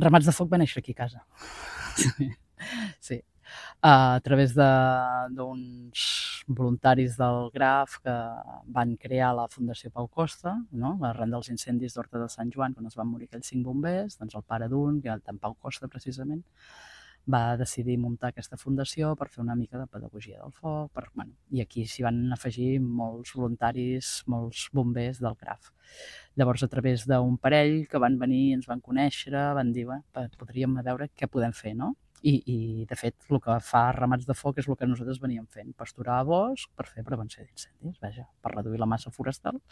Ramats de Foc va néixer aquí a casa. Sí. A través d'uns voluntaris del Graf que van crear la Fundació Pau Costa, no? Arran dels incendis d'Horta de Sant Joan, quan es van morir aquells 5 bombers, doncs el pare d'un, que era en Pau Costa precisament, va decidir muntar aquesta fundació per fer una mica de pedagogia del foc, i aquí s'hi van afegir molts voluntaris, molts bombers del Graf. Llavors, a través d'un parell que van venir, ens van conèixer, van dir, podríem veure què podem fer, no? I de fet, el que fa Ramats de Foc és el que nosaltres veníem fent, pasturar a bosc per fer prevenció d'incendis, vaja, per reduir la massa forestal